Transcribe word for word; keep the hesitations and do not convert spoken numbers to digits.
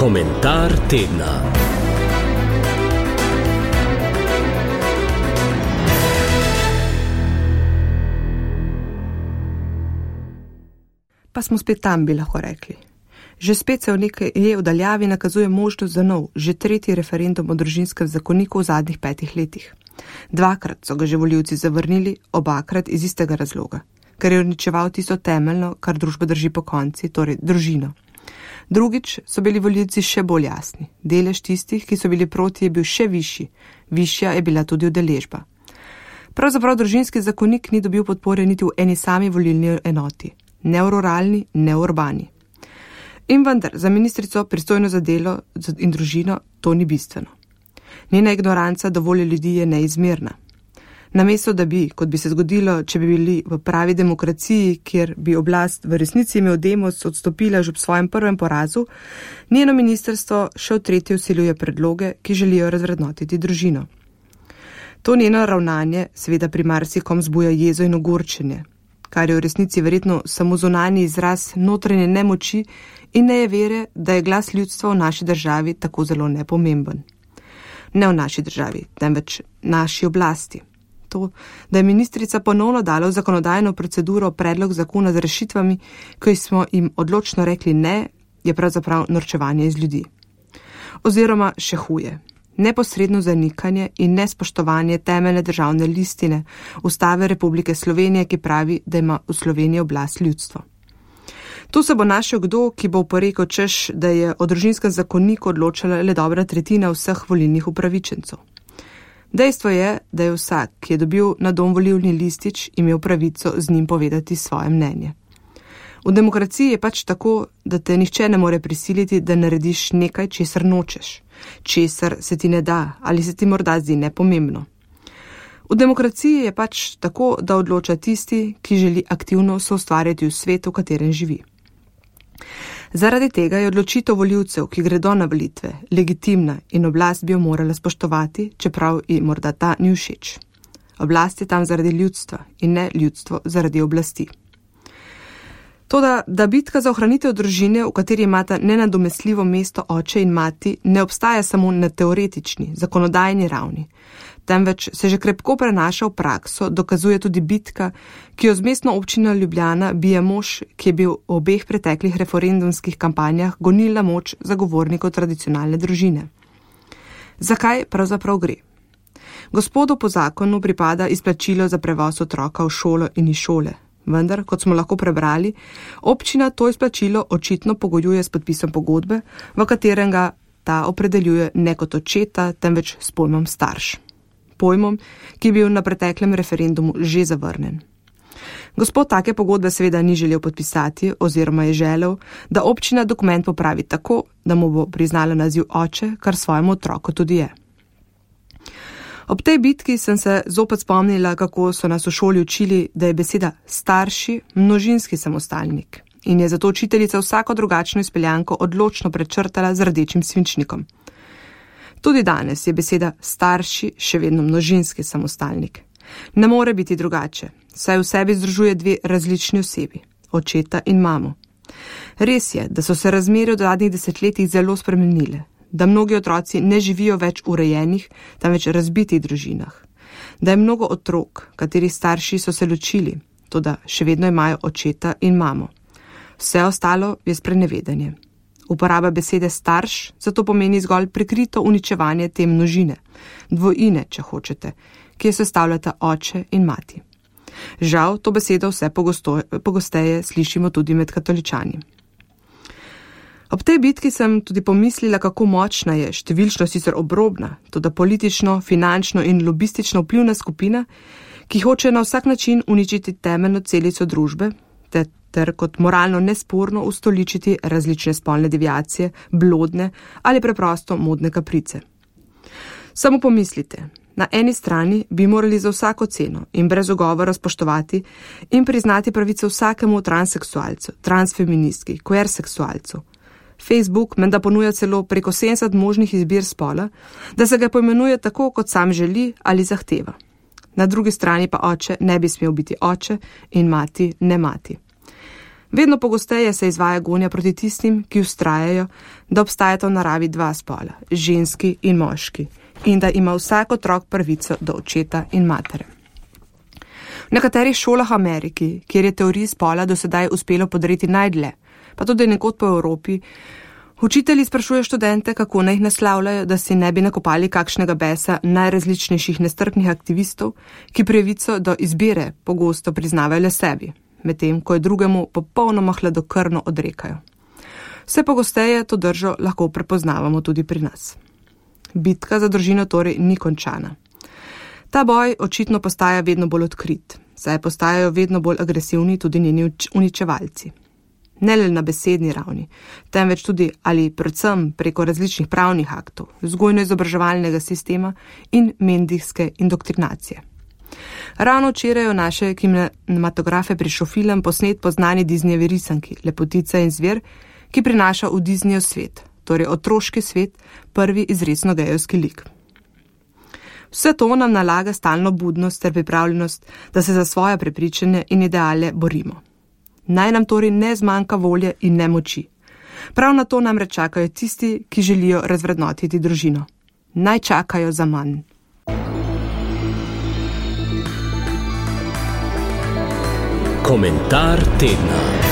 Komentar tedna. Pa smo spet tam, bi lahko rekli. Že spet se v nekaj je v daljavi nakazuje možnost za nov, že tretji referendum o družinskem zakoniku v zadnjih petih letih. Dvakrat so ga že volivci zavrnili, obakrat iz istega razloga, ker je uničeval tisto temeljno, kar družba drži po konci, torej družino. Drugič so bili volivci še bolj jasni. Delež tistih, ki so bili proti, je bil še višji. Višja je bila tudi udeležba. Pravzaprav družinski zakonik ni dobil podpore niti v eni sami volilni enoti. Ne v ruralni, ne v urbani. In vendar, za ministrico pristojno za delo in družino to ni bistveno. Njena ignoranca do volje ljudi je neizmerna. Namesto da bi, kot bi se zgodilo, če bi bili v pravi demokraciji, kjer bi oblast v resnici imel demos odstopila že ob svojem prvem porazu, njeno ministrstvo še v tretje vsiljuje predloge, ki želijo razvrednotiti družino. To njeno ravnanje seveda pri marsikom zbuja jezo in ogorčenje, kar je v resnici verjetno samo zunanji izraz notranje nemoči in nejevere, da je glas ljudstva v naši državi tako zelo nepomemben. Ne v naši državi, temveč naši oblasti. To, da je ministrica ponovno dala v zakonodajno proceduro predlog zakona z rešitvami, ki smo jim odločno rekli ne, je pravzaprav norčevanje iz ljudi. Oziroma še huje. Neposredno zanikanje in nespoštovanje temeljne državne listine Ustave Republike Slovenije, ki pravi, da ima v Sloveniji oblast ljudstvo. Tu se bo našel kdo, ki bo oporekal češ, da je o družinskem zakoniku odločala le dobra tretjina vseh volilnih upravičencev. Dejstvo je, da je vsak, ki je dobil na dom volilni listič, imel pravico z njim povedati svoje mnenje. V demokraciji je pač tako, da te nihče ne more prisiliti, da narediš nekaj, česar nočeš, česar se ti ne da ali se ti morda zdi nepomembno. V demokraciji je pač tako, da odloča tisti, ki želi aktivno soustvarjati v svetu, v katerem živi. Zaradi tega je odločitev volivcev, ki gredo na volitve, legitimna in oblast bi jo morala spoštovati, čeprav ji morda ta ni všeč. Oblast je tam zaradi ljudstva in ne ljudstvo zaradi oblasti. Toda, da bitka za ohranitev družine, v kateri imata nenadomestljivo mesto oče in mati, ne obstaja samo na teoretični, zakonodajni ravni, temveč se že krepko prenaša v prakso, dokazuje tudi bitka, ki jo z mestno občino Ljubljana bije mož, ki je bil v obeh preteklih referendumskih kampanjah gonilna moč zagovornikov tradicionalne družine. Zakaj pravzaprav gre? Gospodu po zakonu pripada izplačilo za prevoz otroka v šolo in iz šole. Vendar, kot smo lahko prebrali, občina to izplačilo očitno pogojuje s podpisom pogodbe, v katerem ga ta opredeljuje ne kot očeta, temveč s pojmom starš. Pojmom, ki je bil na preteklem referendumu že zavrnen. Gospod take pogodbe seveda ni želel podpisati oziroma je želel, da občina dokument popravi tako, da mu bo priznala naziv oče, kar svojemu otroku tudi je. Ob tej bitki sem se zopet spomnila, kako so nas v šoli učili, da je beseda starši množinski samostalnik in je zato učiteljica vsako drugačno izpeljanko odločno prečrtala z rdečim svinčnikom. Tudi danes je beseda starši še vedno množinski samostalnik. Ne more biti drugače, saj v sebi združuje dve različni osebi, očeta in mamo. Res je, da so se razmere v zadnjih desetletjih zelo spremenile, da mnogi otroci ne živijo več v urejenih, temveč razbitih družinah, da je mnogo otrok, katerih starši so se ločili, toda še vedno imajo očeta in mamo. Vse ostalo je sprenevedanje. Uporaba besede starš zato pomeni zgolj prikrito uničevanje te množine, dvojine, če hočete, ki jo sestavljata oče in mati. Žal, to besedo vse pogosto, pogosteje slišimo tudi med katoličani. Ob tej bitki sem tudi pomislila, kako močna je, številčno sicer obrobna, toda politično, finančno in lobistično vplivna skupina, ki hoče na vsak način uničiti temeljno celico družbe, ter, ter kot moralno nesporno ustoličiti različne spolne deviacije, blodne ali preprosto modne kaprice. Samo pomislite, na eni strani bi morali za vsako ceno in brez ugovora spoštovati in priznati pravice vsakemu transseksualcu, transfeministki, queerseksualcu. Facebook menda ponuja celo preko sedemdeset možnih izbir spola, da se ga poimenuje tako, kot sam želi ali zahteva. Na drugi strani pa oče ne bi smel biti oče in mati ne mati. Vedno pogosteje se izvaja gonja proti tistim, ki vztrajajo, da obstajata v naravi dva spola, ženski in moški, in da ima vsak otrok pravico do očeta in matere. V nekaterih šolah v Ameriki, kjer je teoriji spola do sedaj uspelo podreti najdlje, pa tudi nekod po Evropi, učitelji sprašujejo študente, kako naj jih naslavljajo, da si ne bi nakopali kakšnega besa najrazličnejših nestrpnih aktivistov, ki pravico do izbire pogosto priznavajo le sebi, medtem ko je drugemu popolnoma hladnokrvno odrekajo. Vse pogosteje to držo lahko prepoznavamo tudi pri nas. Bitka za družino torej ni končana. Ta boj očitno postaja vedno bolj odkrit, saj postajajo vedno bolj agresivni tudi njeni uničevalci. Ne le na besedni ravni, temveč tudi ali predvsem preko različnih pravnih aktov, vzgojno-izobraževalnega sistema in medijske indoktrinacije. Ravno včeraj v naše kinematografe prišel film posnet po znani Disneyjevi risanki Lepotica in zver, ki prinaša v Disneyjev svet, torej otroški svet, prvi izrecno gejevski lik. Vse to nam nalaga stalno budnost ter pripravljenost, da se za svoje prepričanje in ideale borimo. Naj nam torej ne zmanjka volje in ne moči. Prav na to namreč čakajo tisti, ki želijo razvrednotiti družino. Naj čakajo za manj. Komentar tedna.